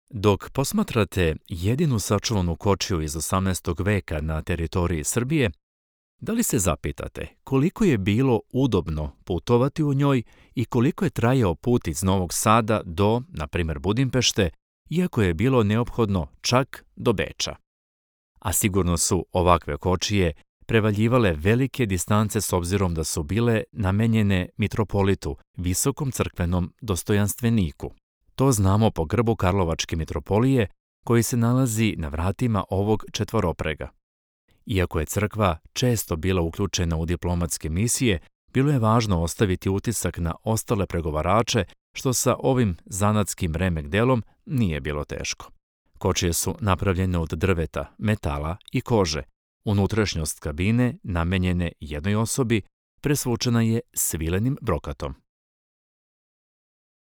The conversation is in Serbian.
Dok posmatrate jedinu sačuvanu kočiju iz 18. veka na teritoriji Srbije, da li se zapitate koliko je bilo udobno putovati u njoj i koliko je trajao put iz Novog Sada do, na primjer, Budimpešte, iako je bilo neophodno čak do Beča? A sigurno su ovakve kočije prevaljivale velike distance s obzirom da su bile namenjene mitropolitu, visokom crkvenom dostojanstveniku. To znamo po grbu Karlovačke mitropolije koji se nalazi na vratima ovog četvoroprega. Iako je crkva često bila uključena u diplomatske misije, bilo je važno ostaviti utisak na ostale pregovarače, što sa ovim zanatskim remek delom nije bilo teško. Kočije su napravljene od drveta, metala i kože. Unutrašnjost kabine, namenjene jednoj osobi, presvučena je svilenim brokatom.